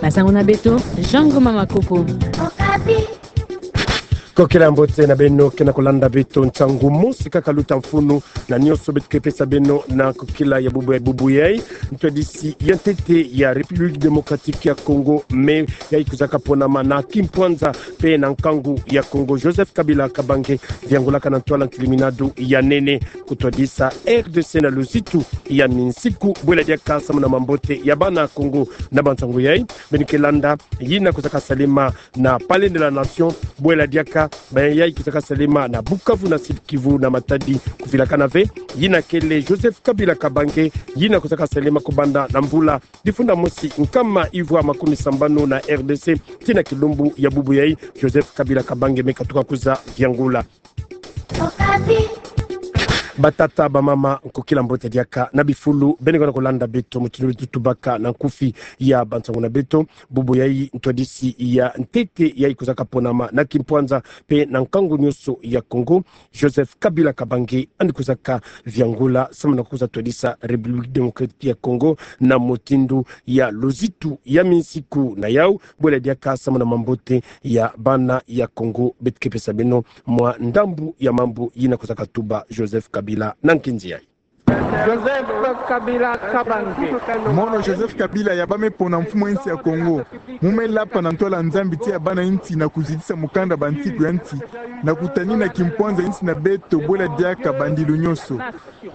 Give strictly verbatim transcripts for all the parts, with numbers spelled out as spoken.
Basango na beto, Jean Ngoma Makuku. Kokila mbote na beno ke na kolanda beto ntangu mosi kaka luta mfunu na nionso beto ke pesa beno na kokila ya bubu ya bubu yai. Ntwadisi ya ntete ya République Démocratique ya Congo, me yai kwizaka ponama na kimpwanza pe na nkangu ya Congo, Joseph Kabila Kabange, viangulaka na ntwala nkiliminadu ya nene kutwadisa R D C na luzitu ya minsiku, bwela diaka samu na mambote ya bana Congo. Na bantangu yai, beno ke landa yina kwizaka salema na Palais de la Nation, bwela diaka ba yai kwizaka salema na Bukavu, na Sud-Kivu, na Matadi. Kuvilakana ve yina kele Joseph Kabila Kabange, yina kwizaka salema kubanda na mvula difunda mosi nkama ivwa makumi sambanu na R D C tii na kilumbu ya bubu yai, Joseph Kabila Kabange me katuka kwiza viangula. Batata, bamama, nkokila mbote diaka na bifulu beno ke na kolanda beto, mutindu beto tubaka na nkufi ya bantangu na beto. Bubu yai, ntwadisi ya ntete yai kwizaka ponama na kimpwanza pe na nkangu nionso ya Congo, Joseph Kabila Kabange, yandi kwizaka viangula samu na kwiza twadisa République Démocratique ya Congo na mutindu ya luzitu ya minsiku na yau, bwela diaka samu na mambote ya bana ya Congo. Beto ke pesa beno mwa ndambu ya mambu yina kwizaka tuba Joseph Kabila na nkinzi yai. Joseph Kabila Kabange. Mono Joseph Kabila ya bame pona mfumu ya nsi ya Congo, mu me lapa na ntwala Nzambi tii ya bana nsi na kuzitisa mukanda bansiku ya nsi, na kutanina kimpwanza ya nsi na beto, bwela diaka bandilu nionso,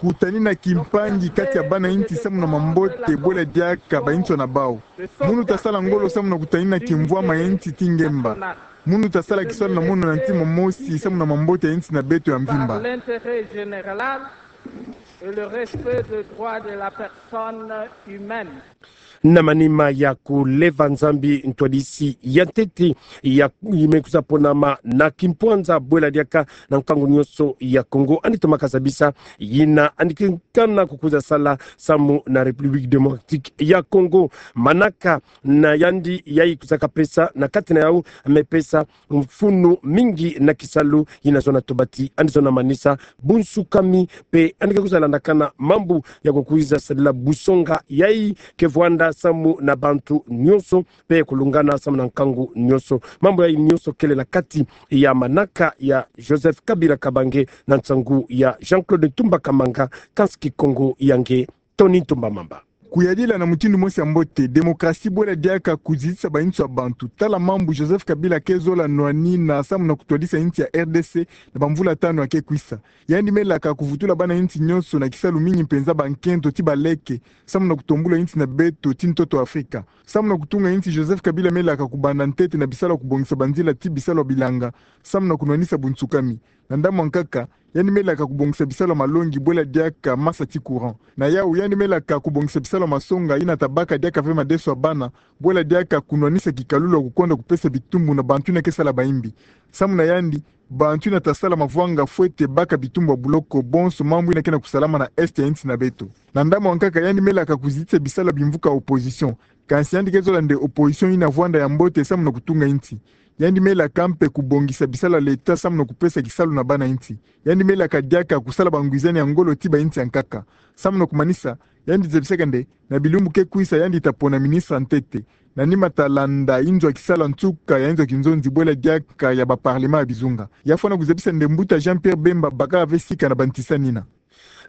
kutanina kimpangi kati ya bana nsi samu na mambote, bwela diaka bansoni na bau. Munu tasala ngolo samu na kutanina kimvwama ya nsi tii ngemba. Munu tasala kisalu na mono na ntima mosi samu na mambote ya nsi na beto ya mvimba. Par l'intérêt général et le respect des droits de la personne humaine. Na manima ya kuleva Nzambi, ntwadisi ya ntete ya yai me kwiza ponama na kimpwanza, bwela diaka na nkangu nionso ya Congo, yandi tomaka zabisa yina yandi ke kana kukwiza sala samu na République Démocratique ya Congo. Manaka na yandi yai kwizaka pesa, na kati na yau me pesa mfunu mingi na kisalu yina zona tobati, yandi zona manisa bunsukami, pe yandi ke kwiza landakana mambu ya kukwiza sadila busonga yai ke vwanda samu na bantu nionso, pe kulungana samu na nkangu nionso. Mambu yai nionso kele na kati ya manaka ya Joseph Kabila Kabange na nsangu ya Jean-Claude Ntumba Kamanga, kansi Kikongo ya nge Tony Ntumba Mamba. Kuyadila na mutindu mosi ya mbote, démocratie bwela diaka kuzitisa bansoni ya bantu. Tala mambu Joseph Kabila ke zola nwanina samu na kutwadisa nsi ya R D C na bamvula tanu ya ke kwisa. Yandi me laka kuvutula bana nsi nionso na kisalu, mingi mpenza bankento tii baleke, samu na kutombula nsi na beto tii ntoto Afrika. Samu na kutunga nsi, Joseph Kabila me laka kubanda ntete na bisalu ya kubongisa banzila tii bisalu ya bilanga, samu na kunwanisa bunsukami. Na ndambu ya nkaka, yandi me laka kubongisa bisalu ya malongi bwela diaka masa tii courant. Na yau, yandi me laka kubongisa bisalu ya masonga yina ta baka diaka ve madeso ya bana, bwela diaka kunwanisa kikalulu ya kukonda kupesa bitumbu na bantu yina ke sala bayimbi. Samu na yandi, bantu yina ta sala mavwanga fwete baka bitumbu ya buloko, bonso mambu yina ke na kusalama na Est ya nsi na beto. Na ndambu ya nkaka, yandi me laka kuzitisa bisalu ya bimvuka opposition. Kansi yandi ke zola nde opposition yina vwanda ya mbote samu na kutunga nsi. Yandi me laka mpe kubongisa bisalu ya l'État samu na kupesa kisalu na bana nsi. Yandi me laka diaka kusala bangwizani ya ngolo tii bansi ya nkaka. Samu na kumanisa, yandi zabisaka nde na bilumbu ke kwisa yandi ta pona ministre ya ntete. Na nima ta landa inzo ya kisalu ya nsuka ya inzo ya kinzonzi bwela diaka ya ba parlement ya bizunga. Ya fwana kuzabisa nde mbuta Jean-Pierre Bemba bakaka ve sika na bantisani yina.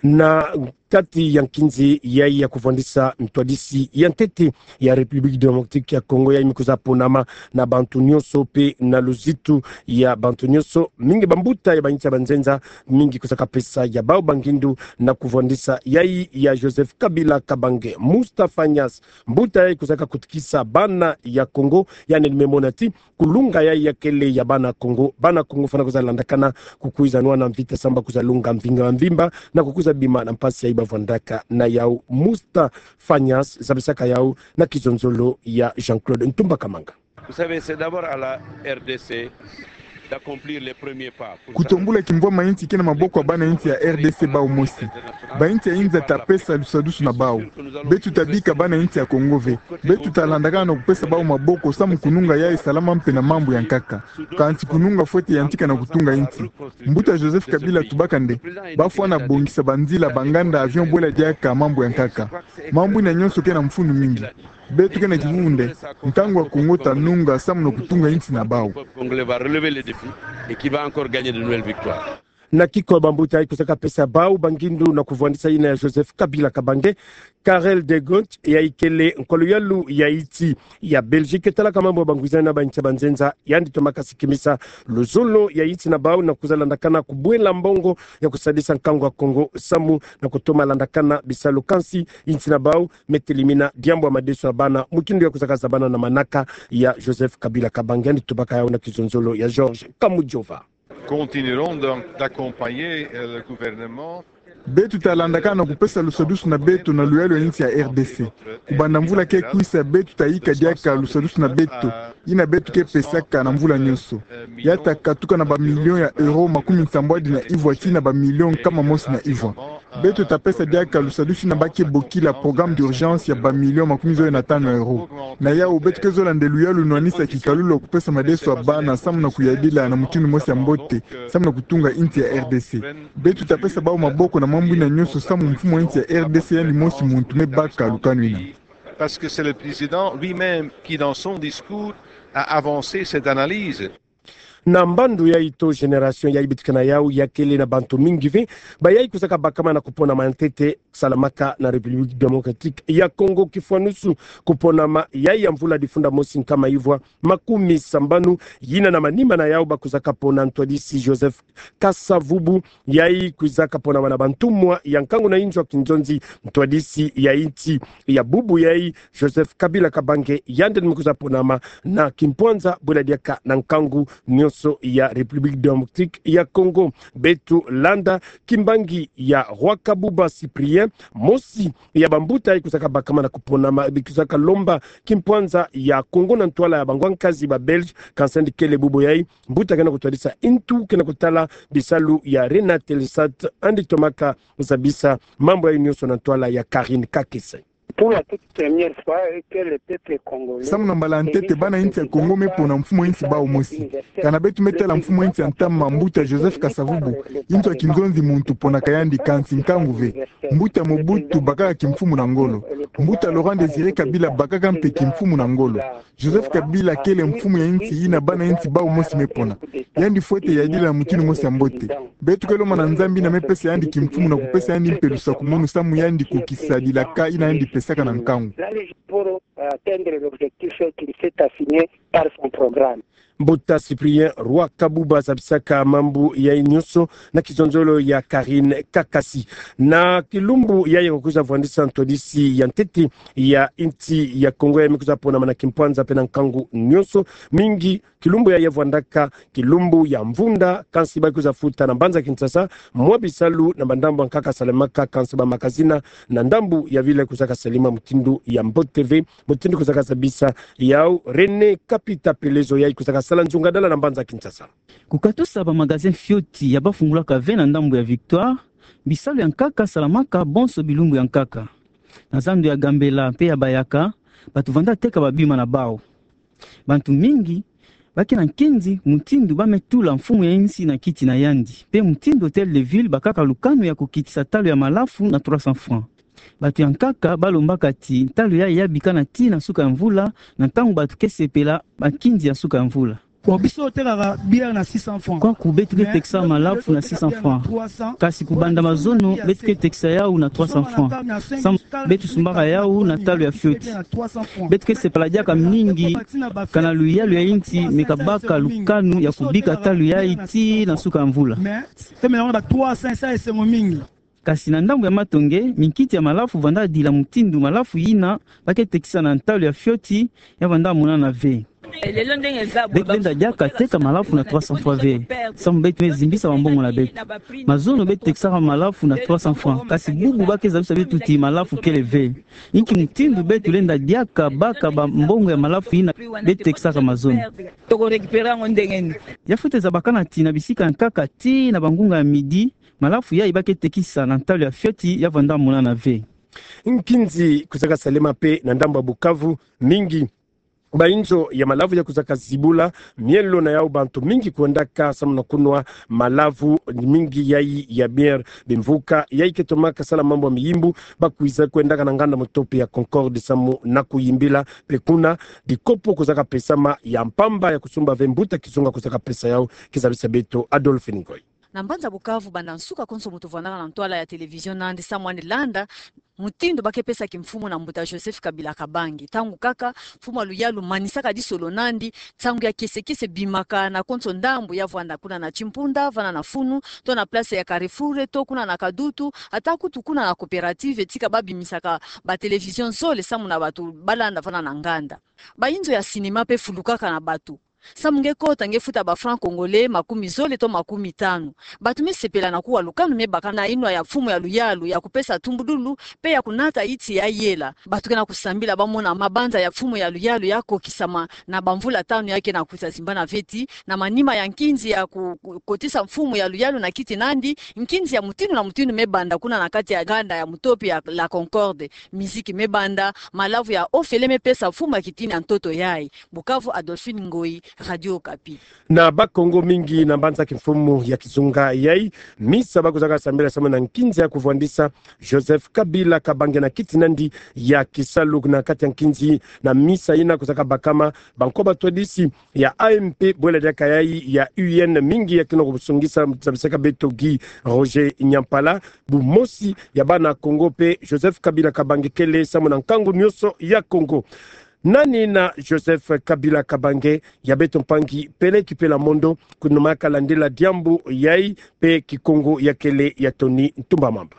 Na kati ya nkinzi yai ya kuvwandisa ntwadisi ya ntete ya République Démocratique ya Congo, yai me kwiza ponama na bantu nionso pe na luzitu ya bantu nionso, mingi bambuta ya bansi ya banzenza, mingi kwizaka pesa ya bau bangindu na kuvwandisa yai ya Joseph Kabila Kabange. Moustapha Niasse, mbuta yai kwizaka kutukisa bana ya Congo, yandi me mona ti kulunga yai ya kele ya bana Congo. Bana Congo fwana kwiza landakana kukwiza nwana mvita samu ba kwiza lunga mvinga mvimba na kukwiza bima na mpasi yai bavwandaka na yau. Moustapha Niasse zabisaka yau na kizonzolo ya Jean-Claude Ntumba Kamanga. Vous savez, c'est d'abord à la R D C d'accomplir les premiers pas. Kutombula kimvwama ya nsi ke na maboko ya bana nsi ya R D C bau mosi. Bansi ya inza ta pesa lusadusu na bau. Beto ta bika bana nsi ya Congo ve. Beto ta landakana na kupesa bau maboko samu kununga yai salama mpe na mambu ya nkaka. Kansi kununga fwete yantika na kutunga nsi. Mbuta Joseph Kabila tubaka nde ba fwana bongisa banzila, banganda, avion bwela diaka mambu ya nkaka. Mambu yina nionso ke na mfunu mingi. Beto ke na kibunde, nkangu ya Kongo ta nunga samu na kutunga insi na bau. Na kiko ya bambuta yayi kwiza kapesa bau bangindu na kuvwandisa yina ya Joseph Kabila Kabange, Karel de Gucht, yayi kele nkwa luyalu ya insi ya Belgique talaka mambu ya bangwizani na bainsi ya banzenza, yandi tomaka sikimisa luzolo ya insi na bau na kwiza landakana kubwela mbongo ya kusadisa nkangu ya Kongo samu na kutoma landakana bisalu, kansi insi na bau me telimina diambu ya madeso ya bana, mutindu ya kwiza kazabana na manaka ya Joseph Kabila Kabange. Yandi tubaka yawu na kizonzolo ya Georges Kamujova. Continuerons donc d'accompagner, euh, le gouvernement. Beto talandakana na kupesa lusadusu na beto na luyalu ya insi ya R D C. Kubanda mvula ke kwisa, beto tayika diaka lusadusu na beto, yina beto ke pesaka na mvula nionso. Ya takatuka na bamilio ya euro makumi nsambwadi na ivwa tii na bamilio nkama mosi na ivwa. Beto tapesa diaka lusadusu yina ba ke bokila programme d'urgence ya bamilio makumi zole na tanu ya euro. Na yawu beto ke zola nde luyalu nwanisa kikalulu ya kupesa madeso ya bana samu na kuyadila na mutindu mosi ya mbote, samu na kutunga insi ya R D C. Beto tapesa bau maboko na mambu yina nionso samu mfumu ya insi ya R D C yandi mosi muntu me baka lukanu yina. Parce que c'est le président lui-même qui, dans son discours, a avancé cette analyse. Na mbandu yayi to génération yayi beto ke na yawu ya kele na bantu mingi ve bayayi kwiza kabakama na kuponama ya ntete salamaka na République Démocratique ya Congo, kifwanusu kuponama yayi ya mvula difunda mosi nkama ivwa makumi sambanu, yina na manima na yawu ba kwiza kapona ntwadisi Joseph Kasa-Vubu, yayi kwiza kaponama na bantumwa ya nkangu na inzo ya kinzonzi, ntwadisi ya insi ya bubu yayi, Joseph Kabila Kabange, yandi ni me kwiza ponama na kimpwanza bwela diaka na nkangu nionso ya République Démocratique ya Congo. Beto landa kimbangi ya Rwakabuba Cyprien, mosi ya bambuta yayi kwiza kabakama na kuponama, bi kwiza kalomba kimpwanza ya Congo na ntwala ya bangwa nkazi ba Belge, kansi yandi kele bubu yayi mbuta ke na kutwadisa intu ke na kutala bisalu ya Renatelsat, yandi tomaka zabisa mambu yayi nionso na ntwala ya Karine Kakese. Pour la toute première fois, que le peuple congolais. Samu na mbala ya ntete, bana insi ya Congo me pona mfumu ya insi bau mosi. Kana beto me tala mfumu ya insi ya ntama, mbuta Joseph Kasa-Vubu, inzo ya kinzonzi muntu ponaka yandi, kansi nkangu ve. Mbuta Mobutu bakaka kimfumu na ngolo. Mbuta Laurent Désiré Kabila bakaka mpe kimfumu na ngolo. Joseph Kabila kele mfumu ya insi yina bana insi bau mosi me pona. Yandi fwete yadila na mutindu mosi ya mbote. Beto ke lomba na Nzambi yina me pesa yandi kimfumu na kupesa yandi mpe lusakumunu samu yandi kukisa dilaka yina yandi pesaka na nkangu. Pour, euh, atteindre l'objectif qu'il s'est assigné par son programme. Mbuta Cyprien Rwakabuba zabisaka mambu yayi nionso na kizonzolo ya Karine Kakasi. Na kilumbu yayi ya kukwiza vwandisa ntwadisi ya ntete ya insi ya Congo yayi me kwiza ponama na kimpwanza mpe na nkangu nionso mingi. Kilumbu yayi ya vwandaka kilumbu ya mvunda, kansi ba kwiza futa na mbanza Kinshasa mwa bisalu na bandambu ya nkaka salemaka, kansi ba magazine na ndambu ya ville kwiza kasalema mutindu ya mbote ve, mutindu kwiza kasabisa yawu René Kapita Pelezo yayi kwiza kasala nzungadala na mbanza Kinshasa. Kukatusa ba magasin fioti ya bafungulaka ve na ndambu ya Victoire, bisalu ya nkaka salamaka bonso bilumbu ya nkaka. Na zandu ya Gambela mpe ya Bayaka, bantu vanda teka babima na bau. Bantu mingi ba ke na nkinzi mutindu ba me tula mfumu ya insi na kiti na yandi, mpe mutindu Hôtel de Ville bakaka lukanu ya kukitisa talo ya malafu na trois cents francs. Bantu ya nkaka ba lombaka ti talo yayi ya bikana tii na suka ya mvula, na ntangu bantu ke sepela bankinzi ya suka ya mvula. Bon, biso totekaka bière na six cents francs. Kwaku beto ke tekisa malafu na six cents francs. Kasi kubanda mazono beto ke tekisa yawu na trois cents francs. Samu beto sumbaka yawu na talo ya fioti. Beto ke sepela diaka mingi kana luyalu ya insi me kabaka lukanu ya kubika talo yayi tii na suka ya mvula. Mais, tomelaka na ba trois cents, esa esengo mingi. Kasi na ndambu ya matonge, minkiti ya malafu vanda dila mutindu malafu yina ba ke tekisa na ntalo ya fioti ya vanda monana ve. Beto lenda diaka teka malafu na trois cents francs ve, samu beto me zimbisa bambongo na beto. Mazono beto tekisaka malafu na trois cents francs, kasi bubu ba ke zabisa beto ti malafu kele ve. Inki mutindu beto lenda diaka baka bambongo ya malafu yina beto tekisaka mazono? Toko récupérer yango ndenge nini? Ya fwete zabakana ti na bisika ya nkaka tii na bangunga ya midi, malafu yayi ba ke tekisa na ntalo ya fioti ya vanda monana ve. Nkinzi kwiza kasalema mpe na ndambu ya Bukavu mingi. Bayinzo ya malavu ya kuzaka zibula mielo na yau, bantu mingi kwendaka samu na kunwa malavu mingi yayi ya bière. Bimvuka yayi ke tomaka sala mambu ya miyimbu, bakwiza kwendaka na nganda mutopi ya Concorde samu na kuyimbila. Mpe kuna, dikopo kuzaka pesama ya mpamba ya kusumba ve mbuta kizunga kuzaka pesa yau. Kizabisa beto Adolphine Ngoyi. Na mbanza Bukavu, banda nsuka konso muntu vwandaka na ntwala ya télévision nandi samu na landa mutindu ba ke pesa kimfumu na mbuta Joseph Kabila Kabange. Ntangu kaka mfumu ya luyalu manisaka disolo nandi, nsangu ya kiese kiese bimaka na konso ndambu ya vwanda, kuna na Chimpunda, vana na Funu, to na place ya Carrefour, to kuna na Kadutu, ata kutu kuna na Coopérative, tika ba bimisaka ba télévision zole samu na bantu ba landa vana na nganda. Bayinzo ya cinéma mpe fulukaka na bantu. Samu nge kota, nge futa ba francs congolais makumi zole to makumi tanu. Bantu me sepela na kuwa lukanu me baka na yinwa ya mfumu ya luyalu ya kupesa tumbudulu mpe ya kunata yiti ya yela. Bantu ke na kusambila ba mona mabanza ya mfumu ya luyalu ya kokisama na bamvula tanu ya ke na kwiza zimbana ve ti. Na manima ya nkinzi ya ku-, ku-, kotisa mfumu ya luyalu na kiti nandi, nkinzi ya mutindu na mutindu me banda kuna na kati ya nganda ya mutopi ya La Concorde. Miziki me banda, malavu ya ofele me pesa mfumu ya kitini ya ntoto yayi. Bukavu, Adolphine Ngoyi, Radio Okapi. Na Bakongo mingi na mbanza kimfumu ya kizunga yayi, misa ba kuzaka sambila samu na nkinzi ya kuvwandisa Joseph Kabila Kabange na kiti nandi ya kisalu. Na kati ya nkinzi na misa yina kuzaka bakama, banko batwadisi ya A M P, bwela diaka yayi ya U N, mingi ya ke na kusungisa, zabisaka beto Guy Roger Nyampala, bumosi ya bana Kongo mpe Joseph Kabila Kabange kele samu na nkangu nionso ya Kongo. Nani na Joseph Kabila Kabange? Ya beto mpangi Pele Kipela Mondo, kuna maka landila diambu yayi mpe Kikongo ya kele ya Tony Ntumba Mamba.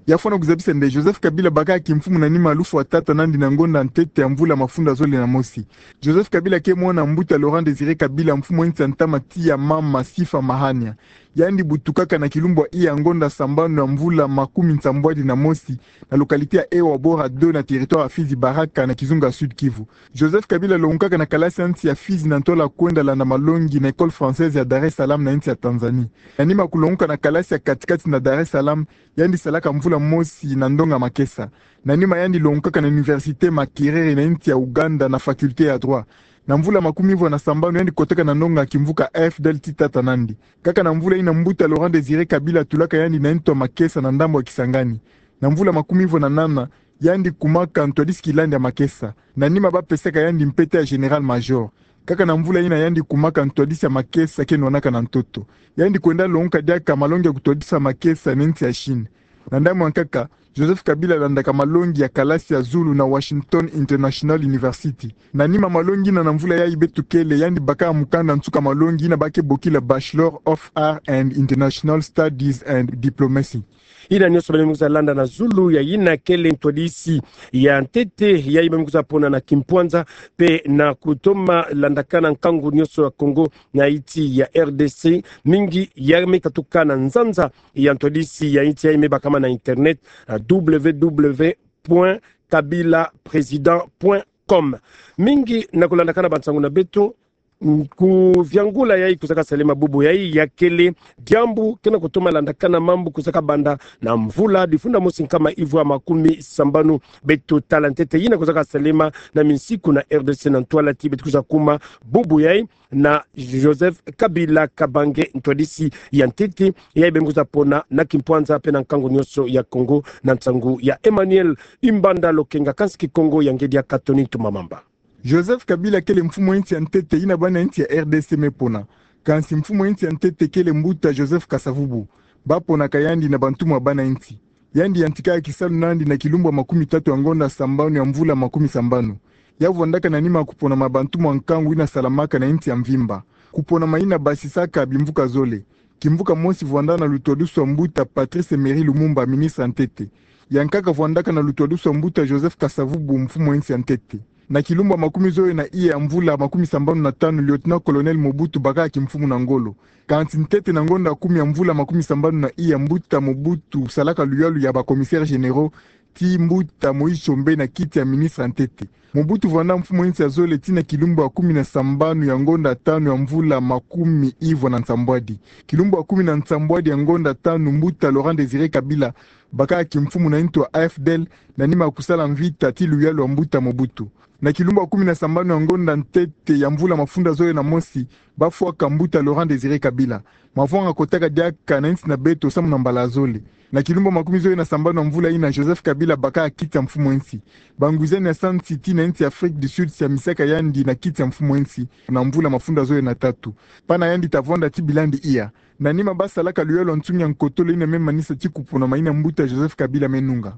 Ya fwana kuzabisa nde Joseph Kabila baka kimfumu na nima lufwa tata nandi na ngonda ntete ya mvula mafunda zole na mosi. Joseph Kabila ke mwana mbuta Laurent Désiré Kabila, mfumu ya nsi ya ntama ti ya mama Sifa Mahania. Yandi butukaka na kilumbu ya ngonda sambanu ya mvula makumi nsambwadi na mosi, na localité ya Ewa Bora deux na territoire ya Fizi Baraka na kizunga Sud-Kivu. Joseph Kabila longukaka na kalasi ya nsi ya Fizi na ntwala kwenda landa malongi na École Française ya Dar es Salaam na nsi ya Tanzanie. Na nima kulonguka na kalasi ya kati-kati na Dar es Salaam, yandi salaka mvula mosi na ndonga makesa. Na nima yandi longukaka na Université Makerere na nsi ya Ouganda na faculté ya droit. Na mvula makumi ivwa na sambanu yandi kotaka na ndonga kimvuka F D L ti tata nandi. Kaka na mvula yina mbuta Laurent Désiré Kabila tulaka yandi na ntu ya makesa na ndambu ya Kisangani. Na mvula makumi ivwa na nana, yandi kumaka ntwadisi kilandi ya makesa. Na nima ba pesaka yandi mpeta ya général-major. Kaka na mvula yina yandi kumaka ntwadisi ya makesa ke nwanaka na ntoto. Yandi kwenda longuka diaka malongi ya kutwadisa makesa na nsi ya Chine. Na ndambu ya nkaka, Joseph Kabila landaka malongi ya kalasi ya zulu na Washington International University. Na nima malongi yina, na mvula yayi beto kele, yandi baka mukanda nsuka malongi yina ba ke bokila Bachelor of Arts and International Studies and Diplomacy. Yina nionso beno me kwiza landa na zulu ya yina kele ntwadisi ya ntete yayi beno me kwiza pona na kimpwanza, mpe na kutoma landakana nkangu nionso ya Kongo na insi ya R D C, mingi ya me katuka na nzanza ya ntwadisi ya insi yayi me bakama na internet, na W W W point kabila président point com. Mingi na kulandakana bansangu na beto, mm, kuviangula yayi kuzaka salema bubu yayi, ya kele diambu ke na kutoma landakana mambu kuzaka banda na mvula difunda mosi nkama ivwa makumi sambanu. Beto tala ntete yina kuzaka salema na minsiku na R D C na ntwala ti beto kwiza kuma bubu yayi na Joseph Kabila Kabange, ntwadisi ya ntete yayi beno me kwiza pona na kimpwanza mpe na nkangu nionso ya Kongo, na nsangu ya Emmanuel Imbanda Lokenga, kansi Kikongo ya ngedi ya Katoni Ntumba Mamba. Joseph Kabila kele mfumu ya insi ya ntete yina bana insi ya R D C me pona. Kansi mfumu ya insi ya ntete kele mbuta Joseph Kasavubu. Ba ponaka yandi na bantumwa bana insi. Yandi yantikaka kisalu nandi na kilumbu ya makumi tatu ya ngonda sambanu ya mvula makumi sambanu. Ya vwandaka na nima kuponama bantumwa nkangu yina salamaka na insi ya mvimba. Kuponama yina basisaka bimvuka zole. Kimvuka mosi vwanda na lutwadusu ya mbuta Patrice Emery Lumumba, ministre ya ntete. Ya nkaka vwandaka na lutwadusu ya mbuta Joseph Kasavubu, mfumu ya insi ya ntete. Na kilumbu ya makumi zole na iya ya mvula makumi sambanu na tanu, lieutenant-colonel Mobutu bakaka kimfumu na ngolo. Kansi ntete na ngonda kumi ya mvula makumi sambanu na iya, mbuta Mobutu salaka luyalu ya ba commissaires généraux, ti mbuta Moïse Tshombe na kiti ya ministre ya ntete. Mobutu vwanda mfumu ya insi ya zole tii na kilumbu ya kumi na sambanu ya ngonda tanu ya mvula makumi ivwa na nsambwadi. Kilumbu ya kumi na nsambwadi ya ngonda tanu, mbuta Laurent Désiré Kabila Bakaka kimfumu na ntu ya A F D L, na nima ya kusala mvita ti luyalu ya mbuta Mobutu. Na kilumbu ya kumi na sambanu ya ngonda ntete ya mvula mafunda zole na mosi, bafwaka mbuta Laurent Désiré Kabila. Mavwanga kotaka diaka na nsi na beto samu na mbala zole. Na kilumbu ya makumi zole na sambanu ya mvula yina, Joseph Kabila bakaka kiti ya mfumu ya nsi. Bangwizani ya sa nsi ti na nsi ya Afrique du Sud siamisaka yandi na kiti ya mfumu ya nsi na mvula mafunda zole na tatu. Pana yandi ta vwanda ti bilandi iya. Na nima basalaka luyalu ya nsungi ya nkotolo yina me manisa ti kupona mayina mbuta Joseph Kabila me nunga.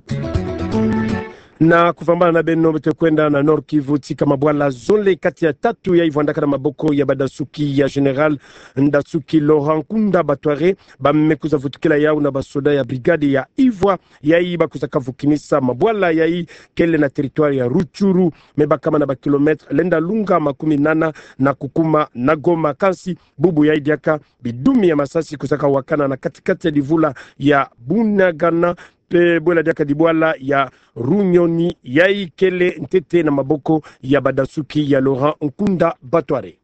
Na kuvambana na beno, beto kwenda na Nord-Kivu, tika mabwala zole kati ya tatu yayi vwandaka na maboko ya badasuki ya Général Ndasuki Laurent Nkunda Batware, ba me kwiza vutukila yawu na basoda ya brigade ya Ivwa, yayi ba kwizaka vukinisa mabwala yayi kele na territoire ya Rutshuru, me bakama na ba kilomètre lenda lunga makumi nana na kukuma na Goma. Kansi bubu yayi diaka bidumi ya masasi kwizaka wakana na kati-kati ya divula ya Bunagana, mpe bwela diaka dibwala ya Runyoni, yayi kele ntete na maboko ya badasuki ya Laurent Nkunda Batware.